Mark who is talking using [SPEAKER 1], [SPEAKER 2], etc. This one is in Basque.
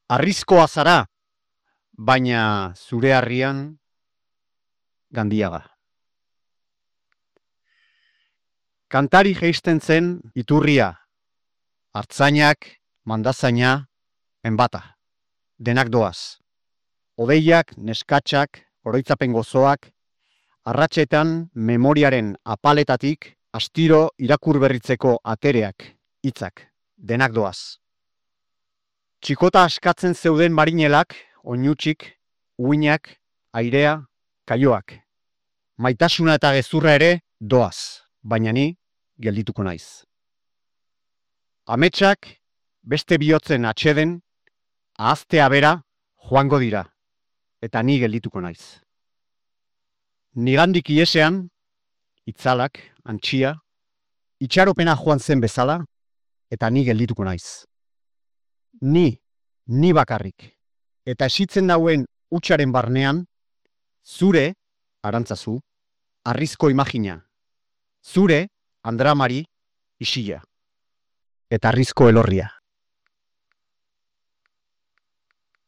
[SPEAKER 1] Arrizkoa zara, baina zure harrian Gandiaga. Kantari jeisten zen iturria, hartzainak, mandazaina, enbata. Denak doaz. Odeiak, neskatxak, oroitzapen gozoak, arratsetan memoriaren apaletatik astiro irakur berritzeko atereak, hitzak, denak doaz. Txikota askatzen zeuden marinelak, oinutsik, uinak, airea, kaioak. Maitasuna eta gezurra ere doaz, baina ni geldituko naiz. Ametsak beste bihotzen atxeden, ahaztea bera joango dira, eta ni geldituko naiz. Nigandik iesean, itzalak, antxia, itxaropena joan zen bezala, eta ni geldituko naiz. Ni bakarrik, eta esitzen dauen hutsaren barnean, zure, Arantzazu, harrizko imagina, zure, Andramari, isila, eta harrizko elorria.